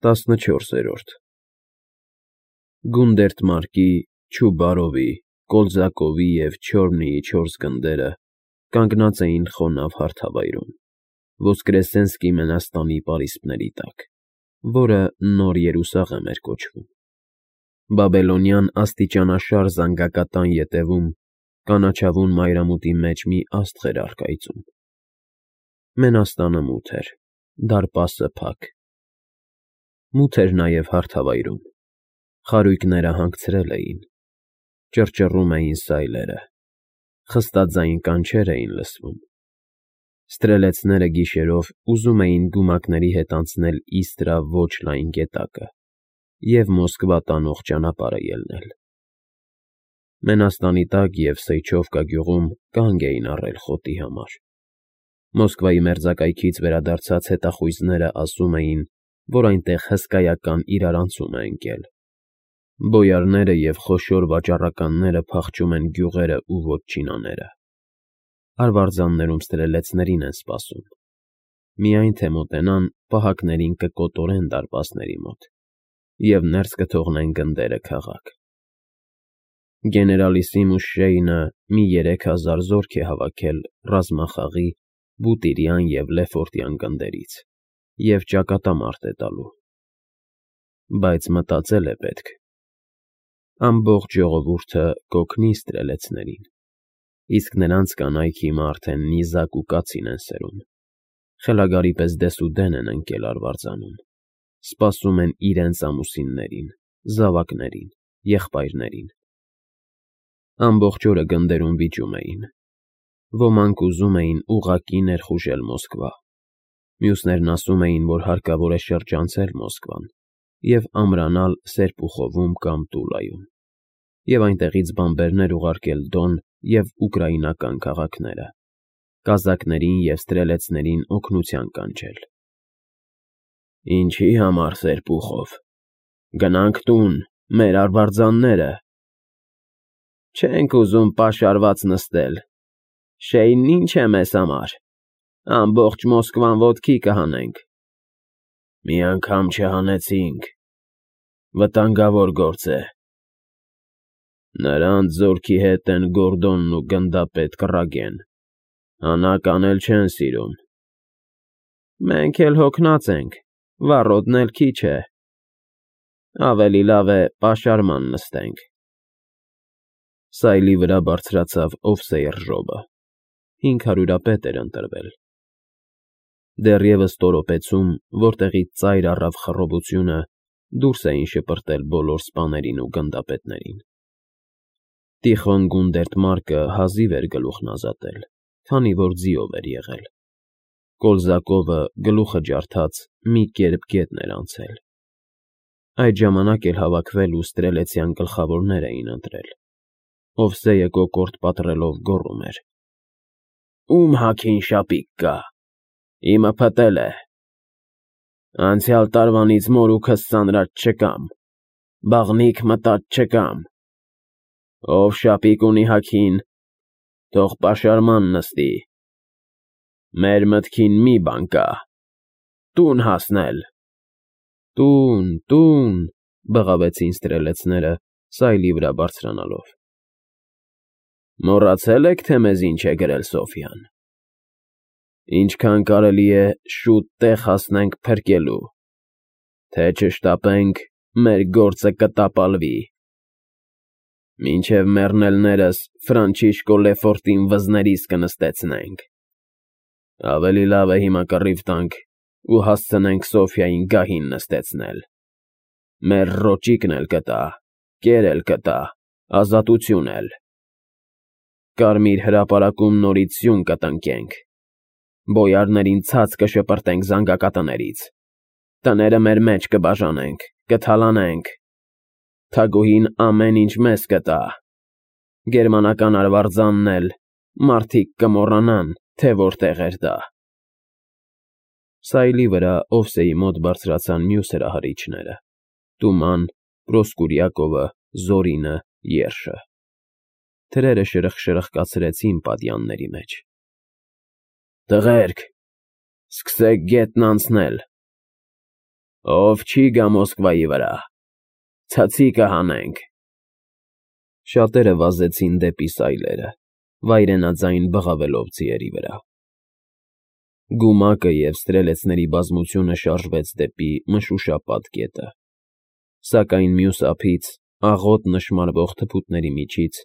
14 Գունդերտմարկի, Չուբարովի, Կոլզակովի և Չորնիի 4 գնդերը կանգնած էին խոնավ հարթավայրում, Ոսկրեսենսկի Մենաստանի պարիսպների տակ, որը Նոր Երուսաղեմ էր կոչվում։ Բաբելոնյան աստիճանաշար զանգակատան ետևում կանաչավուն մայրամուտի մեջ մի աստղ էր առկայծում։ Մենաստանը մութ էր, դարպասը փակ։ Մութ էր նաև հարթավայրում, խարույկները հանգցրել էին, ճռճռում էին սայլերը, խստաձայն կանչեր էին լսվում։ Ստրելեցները գիշերով ուզում էին գումակների հետ անցնել Իստրա ոչ լայն գետակը և Մոսկվա տանող ճանապարհը ելնել։ Մենաստանի տակ և Սեյչովկա գյուղում կանգ էին առել խոտի համար։ Մոսկվայի մերձակայքից վերադարձած հետախույզները ասում էին, որ այնտեղ հսկայական իրարանցում է ընկել։ Բոյարները և խոշոր վաճառականները փախչում են գյուղերը ու վոտչինաները։ Արվարձաններում ստրելեցներին են սպասում։ Միայն թե մոտենան, պահակներին կկոտորեն դարպասների մոտ և ներս կթողնեն գնդերը քաղաք։ Գեներալիսիմուս Շեյնը մի 3000 զորք է հավաքել ռազմախաղի, Բուտիրյան և Լեֆորտյան գնդերից և ճակատամարտ է տալու։ Բայց մտածել է պետք։ Ամբողջ ժողովուրդը կօգնի ստրելեցներին, իսկ նրանց կանայք հիմա արդեն նիզակ ու կացին են սերում, խելագարի պես դեսուդեն են ընկել արվարձանում, սպասում են իրենց ամուսիններին, զավակներին, եղբայրներին։ Ամբողջ օրը գնդերում վիճում էին։ Ոմանք ուզում էին ուղղակի ներխուժել Մոսկվա, մյուսներն ասում էին, որ հարկավոր է շրջանցել Մոսկվան և ամրանալ Սերպուխովում կամ Տուլայում, և այնտեղից բանբերներ ուղարկել Դոն և ուկրաինական քաղաքները, կազակներին և ստրելեցներին օգնության կանչել։ Ինչի համար Սերպուխով։ Գնանք տուն, մեր արվարձանները։ Չենք ուզում պաշարված նստել։ Շեյնն ինչ է մեզ համար։ Ամբողջ Մոսկվան ոտքի կհանենք։ Մի անգամ չհանեցինք։ Վտանգավոր գործ է։ Նրանց զորքի հետ են Գորդոնն ու գնդապետ Կռագեն, հանակ անել չեն սիրում։ Մենք էլ հոգնած ենք, վառոդն էլ քիչ է։ Ավելի լավ է պաշարման նստենք։ Սայլի վրա բարձրացավ Օվսեյռ֊Ժոբը, 500 էր ընտրվել։ Դեռևս տորոպեցում, որտեղից ծայր առավ խռովությունը, դուրս էին շպրտել բոլոր սպաներին ու գնդապետներին։ Տիխոն Գունդերտմարկը հազիվ էր գլուխն ազատել, քանի որ ձիով էր եղել։ Կոլզակովը, գլուխը ջարդած, մի կերպ գետն էր անցել։ Այդ ժամանակ էլ հավաքվել ու ստրելեցյան գլխավորներ էին ընտրել։ Օվսեյը կոկորդ պատռելով գոռում էր. Ում հագին շապիկ կա։ Իմը փտել է։ Անցյալ տարվանից մորուքս ծանրած չկամ, բաղնիք մտած չկամ։ Ով շապիկ ունի հագին, թող պաշարման նստի։ Մեր մտքին մի բան կա. տուն հասնել։ Տուն, բղավեցին ստրելեցները, սայլի վրա բարձրանալով։ Մոռացել եք, թե մեզ ինչ է գրել Սոֆյան։ Ինչքան կարելի է շուտ տեղ հասնենք փրկելու, թե չշտապենք, մեր գործը կտապալվի։ Մինչև մեռնելներս Ֆրանչիշկո Լեֆորտին վզներիս կնստեցնենք։ Ավելի լավ է հիմա կռիվ տանք ու հասցնենք Սոֆյային գահին նստեցնել։ Մեր ռոճիկն էլ կտա, կեր էլ կտա, ազատություն էլ։ Կարմիր հրապարակում նորից սյուն կտնկենք։ Բոյարներին ցած կշպրտենք զանգակատներից։ Տները մեր մեջ կբաժանենք, կթալանենք։ Թագուհին ամեն ինչ մեզ կտա։ Գերմանական արվարձանն էլ, մարդիկ կմոռանան, թե որտեղ էր դա։ Սայլի վրա Օվսեի մոտ բարձրացան մյուս հրահարիչները՝ Տուման, Պրոսկուրյակովը, Զորինը, Երշը։ Թրերը շրխկացրեցին պատյանների մեջ։ Տղերք, սկսեք գետն անցնել։ Ով չի գա Մոսկվայի վրա, ցածիկը հանենք։ Շատերը վազեցին դեպի սայլերը, վայրենաձայն բղավելով ձիերի վրա։ Գումակը և ստրելեցների բազմությունը շարժվեց դեպի մշուշապատ գետը, սակայն մյուս ափից, աղոտ նշմարվող թփուտների միջից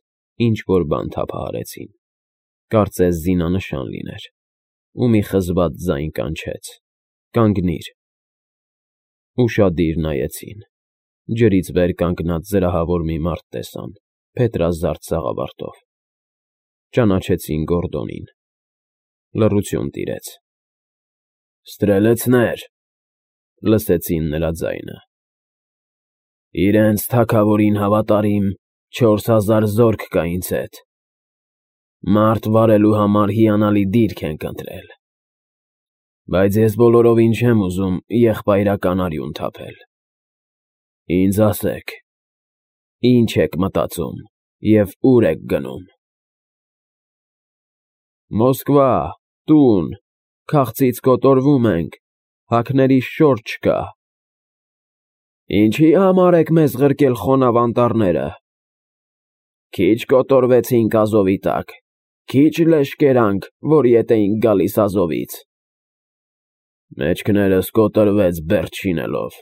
ինչ-որ բան թափահարեցին, կարծես զինանշան լիներ, ու մի խզված ձայն կանչեց. «Կանգնիր»։ Ուշադիր նայեցին, ջրից վեր կանգնած զրահավոր մի մարդ տեսան, փետրազարդ սաղավարտով։ Ճանաչեցին Գորդոնին։ Լռություն տիրեց։ «Ստրելեցներ», լսեցին նրա ձայնը։ «Իրենց թագավորին հավատարիմ 4000 զորք կա ինձ հետ։ Մարդ վարելու համար հիանալի դիրք ենք ընտրել։ Բայց ես բոլորովին չեմ ուզում եղբայրական արյուն թափել։ Ինձ ասեք, ի՞նչ եք մտածում և ուր եք գնում»։ «Մոսկվա, տուն, քաղցից կոտորվում ենք, հագներիս շորջ չկա»։ «Ինչի համար եք մեզ ղրկել խոնավ անտառները։ Քիչ կոտորվեցինք Ազովի տակ, քիչ լեշ կերանք, որ ետ էինք գալիս Ազովից։ Մեջքներս կոտրվեց բերդ շինելով։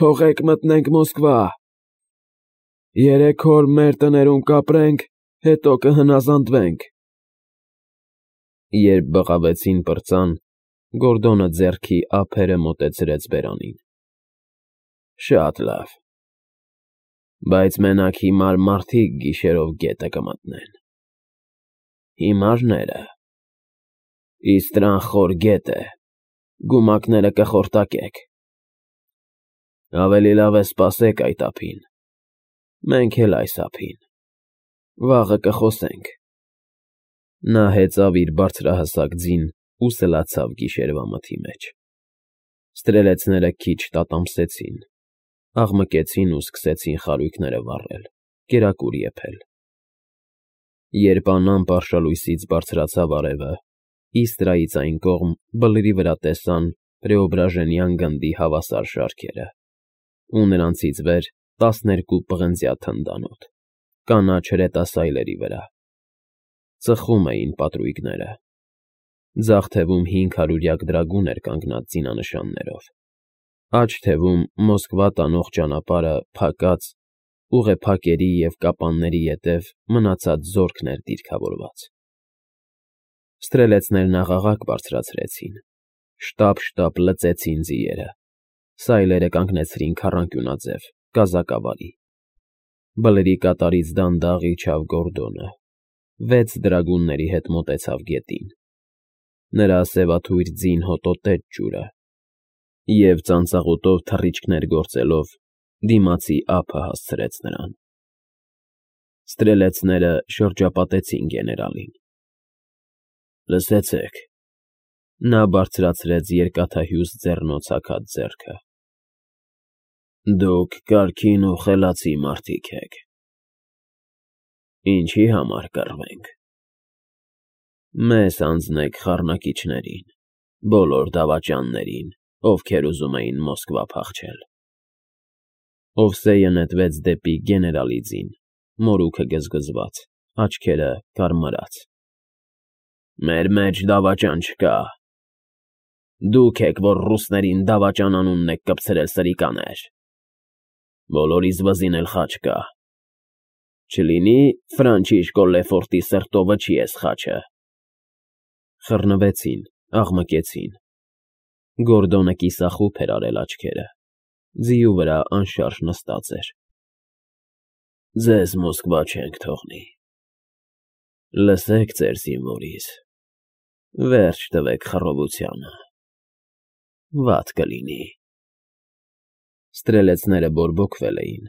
Թողեք մտնենք Մոսկվա։ 3 օր մեր տներում կապրենք, հետո կհնազանդվենք»։ Երբ բղավեցին պրծան, Գորդոնը ձեռքի ափերը մոտեցրեց բերանին։ «Շատ լավ, բայց մենակ հիմար մարդիկ գիշերով գետը կմտնեն։ Հիմարները։ Իստրան խոր գետ է, գումակները կխորտակեք։ Ավելի լավ է սպասեք այդ ափին, մենք էլ այս ափին, վաղը կխոսենք»։ Նա հեծավ իր բարձրահասակ ձին ու սլացավ գիշերվա մթի մեջ։ Ստրելեցները քիչ տատամսեցին, աղմկեցին ու սկսեցին խարույկները վառել, կերակուր եփել։ Երբ անամպ արշալույսից բարձրացավ արևը, Իստրայից այն կողմ բլրի վրա տեսան Պրեոբրաժենյան գնդի հավասար շարքերը, ու նրանցից վեր 12 պղնձյա թնդանոթ, կանաչ հրետասայլերի վրա։ Ծխում էին պատրույգները։ Ձախ թևում 500 դրագուն էր կանգնած զինանշաններով, աջ թևում Մոսկվա տանող ճանապարհը փակած, ուղեփակերի և կապանների ետև մնացած զորքն էր դիրքավորված։ Ստրելեցներն աղաղակ բարձրացրեցին, շտապ լծեցին ձիերը, սայլերը կանգնեցրին քառանկյունաձև, կազակավարի։ Բլրի կատարից դանդաղ իջավ Գորդոնը, 6 դրագունների հետ մոտեցավ գետին։ Նրա սևաթույր ձին հոտոտեց ջուրը և ծանծաղուտով թռիչքներ գործելով դիմացի ափը հասցրեց նրան։ Ստրելեցները շրջապատեցին գեներալին։ «Լսեցեք», նա բարձրացրեց երկաթահյուս ձեռնոց հագած ձեռքը, «դուք կարգին ու խելացի մարդիկ եք։ Ինչի համար կռվենք։ Մեզ հանձնեք խառնակիչներին, բոլոր դավաճաններին, ովքեր ուզում էին Մոսկվա փախչել»։ Օվսեյը նետվեց դեպի գեներալի ձին, մորուքը գզգզված, աչքերը կարմրած։ «Մեր մեջ դավաճան չկա։ Դուք եք, որ ռուսներին դավաճան անունն եք կպցրել սրիկաներ։ Բոլորիս վզին էլ խաչ կա։ Չլինի Ֆրանչիշկո Լեֆորտի սրտովը չի էս խաչը»։ Խռնվեցին, աղմկեցին։ Գորդոնը կիսախուփ էր արել աչքերը, ձիու վրա անշարժ նստած էր։ «Ձեզ Մոսկվա չենք թողնի։ Լսեք ձեր զինվորիս, վերջ տվեք խռովությանը, վատ կլինի»։ Ստրելեցները բորբոքվել էին,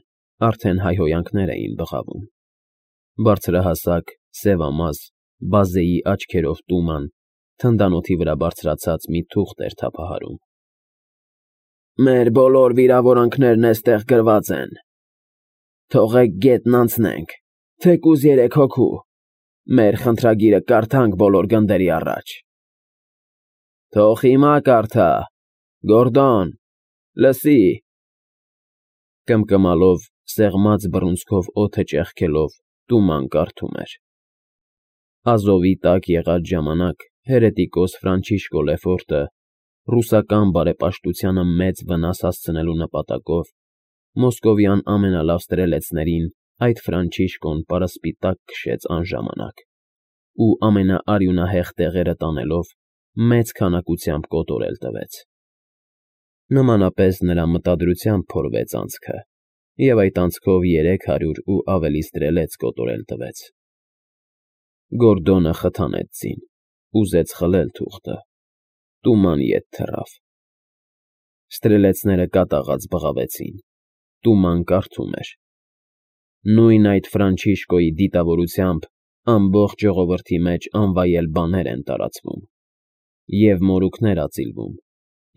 արդեն հայհոյանքներ էին բղավում։ Բարձրահասակ, սևամազ, բազեի աչքերով տուման, թնդանոթի վրա բարձրացած մի թուղթ էր թափահարում։ «Մեր բոլոր վիրավորանքներն էստեղ գրված են։ Թողեք գետն անցնենք, թեկուզ 3 հոգու, մեր խնդրագիրը կարդանք բոլոր գնդերի առաջ»։ «Թող հիմա կարդա, Գորդոն, Լսի։ Կմկմալով, սեղմած բռունցքով օդը ճեղքելով, Տուման կարդում էր. Ազովի տակ եղած ժամանակ հերետիկոս Ֆրանչիշկո Լեֆորտը ռուսական բարեպաշտությանը մեծ վնաս հասցնելու նպատակով մոսկովյան ամենալավ ստրելեցներին այդ Ֆրանչիշկոն պարասպիտակ քշեց անժամանակ ու ամենաարյունահեղ տեղերը տանելով մեծ քանակությամբ կոտորել տվեց։ Նմանապես նրա մտադրությամբ փորվեց անցքը, և այդ անցքով 300 ու ավելի ստրելեց կոտորել տվեց։ Գորդոնը խթանեց ձին, ուզեց խլել թուղթը, Տուման ետ թռավ։ Ստրելեցները կատաղած բղավեցին, Տուման կարդում էր. Նույն այդ Ֆրանչիշկոյի դիտավորությամբ ամբողջ ժողովրդի մեջ անվայել բաներ են տարածվում, և մորուքներ ածիլվում,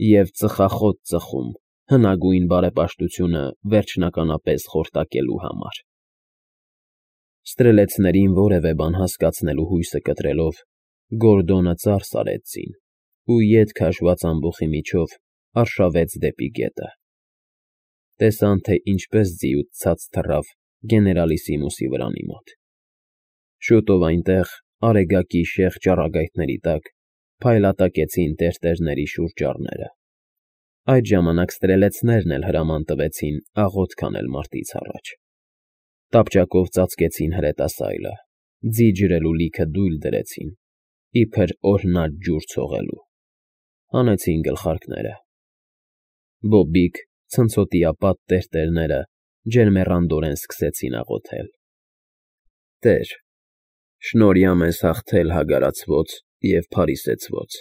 և ծխախոտ ծխում հնագույն բարեպաշտությունը վերջնականապես խորտակելու համար։ Ստրելեցներին որևէ բան հասկացնելու հույսը կտրելով, Գորդոնը ծարս արեց ձին ու ետ քաշված ամբոխի միջով արշավեց դեպի գետը։ Տեսան, թե ինչպես ձիուց ցած թռավ գեներալիսիմուսի վրանի մոտ։ Շուտով այնտեղ, արեգակի շեղ ճառագայթների տակ, փայլատակեցին տերտերների շուրջառները։ Այդ ժամանակ ստրելեցներն էլ հրաման տվեցին աղոթք անել մարտից առաջ։ Տապճակով ծածկեցին հրետասայլը, ձի ջրելու լիքը դույլ դրեցին, իբր օրհնած ջուր ցողելու։ Հանեցին գլխարկները։ Բոբիկ, ցնցոտիապատ տերտերները ջերմեռանդորեն սկսեցին աղոթել. Տեր, շնորհյա մեզ հաղթել հագարացված և փարիսեցված,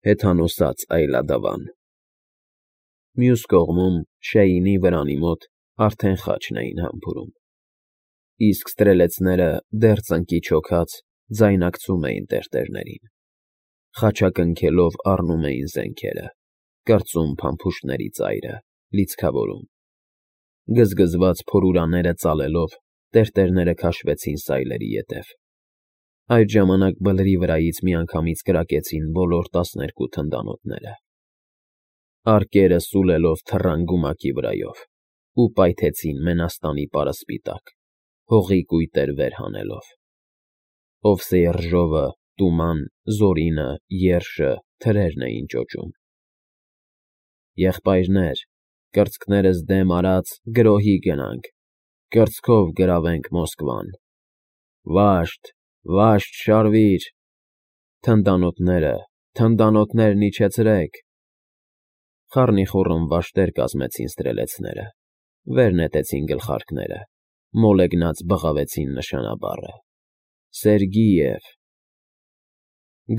հեթանոսաց այլադավան։ Մյուս կողմում, Շեյինի վրանի մոտ արդեն խաչն էին համբուրում, իսկ ստրելեցները դեռ ծնկի չոքած ձայնակցում էին տերտերներին, խաչակնքելով առնում էին զենքերը, կրծում փամփուշտների ծայրը, լիցքավորում։ Գզգզված փորուրաները ծալելով, տերտերները քաշվեցին սայլերի ետև։ Այդ ժամանակ բլրի վրայից միանգամից կրակեցին բոլոր 12 թնդանոթները։ Արկերը սուլելով թռան գումակի վրայով ու պայթեցին Մենաստանի պարասպիտակ, հողի կույտեր վեր հանելով։ Օվսեի Ռժովը, Տուման, Զորինը, Երշը, թրերն էին ճոճում. Եղբայրներ, կրծքներս դեմ արած գրոհի գնանք, կրծքով գրավենք Մոսկվան։ Վաշտ, վաշտ շարվիր, թնդանոթներն իջեցրեք։ Խառնիխուռն վաշտեր կազմեցին ստրելեցները, վեր նետեցին գլխարկները, մոլեգնած բղավեցին նշանաբառը. Սերգիև։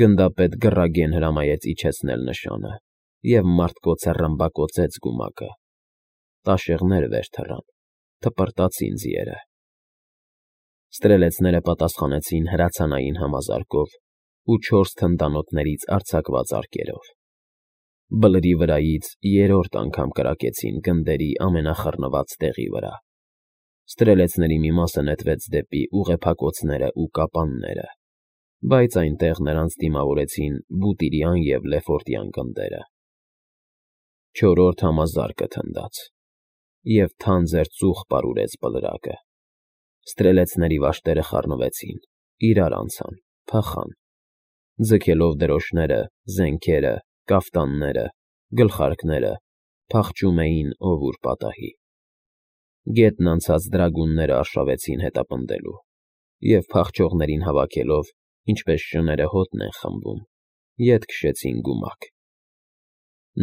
Գնդապետ գռագեն հրամայեց իջեցնել նշանը, և մարդկոցը ռմբակոծեց գումակը։ Տաշեղներ վեր թռան, թպրտացին ձիերը։ Ստրելեցները պատասխանեցին հրացանային համազարկով ու 4 թնդանոթներից արձակված արկերով։ Բլրի վրայից 3-րդ անգամ կրակեցին գնդերի ամենախռնված տեղի վրա։ Ստրելեցների մի մասը նետվեց դեպի ուղեփակոցները ու կապանները, բայց այնտեղ նրանց դիմավորեցին Բուտիրյան և Լեֆորտյան գնդերը։ 4-րդ համազարկը թնդաց, և թանձր ծուխ պարուրեց բլրակը։ Ստրելեցների վաշտերը խառնվեցին, իրար անցան, փախան, ձգելով դրոշները, զենքերը, կաֆտանները, գլխարկները, փախչում էին ով ուր պատահի։ Գետն անցած դրագունները արշավեցին հետապնդելու, և փախչողներին հավաքելով, ինչպես շները հոտն են խմբում, ետ քշեցին գումակ։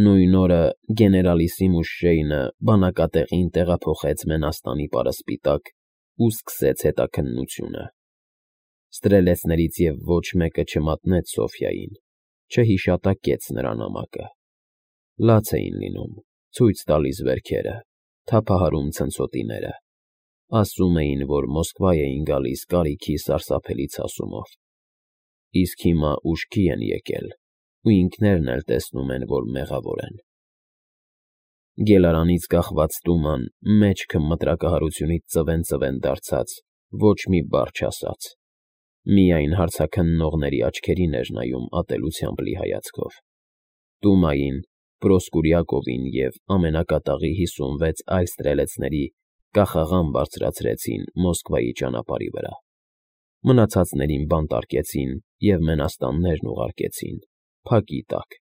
Նույն օրը գեներալիսիմուս Շեյնը բանակատեղին տեղափոխեց Մենաստանի պարասպիտակ ու սկսեց հետաքննությունը։ Ստրելեցներից և ոչ մեկը չմատնեց Սոֆյային, չհիշատակեց նրա նամակը։ Լաց էին լինում, ցույց տալիս վերքերը, թափահարում ցնցոտիները, ասում էին, որ Մոսկվա էին գալիս կարիքի սարսափելի ցասումով, իսկ հիմա ուշքի են եկել ու ինքներն էլ տեսնում են, որ մեղավոր են։ Գելարանից կախված Տուման մեջքը մտրակահարությունից ծվեն դարձած ոչ մի բառ չասաց, միայն հարցաքննողների աչքերին էր նայում ատելությամբ լի հայացքով։ Տումային Պրոսկուրյակովին և ամենակատաղի 56 այլ ստրելեցների կախաղան բարձրացրեցին Մոսկվայի ճանապարհի վրա, մնացածներին բանտարկեցին և մենաստաններն ուղարկեցին փակի տակ։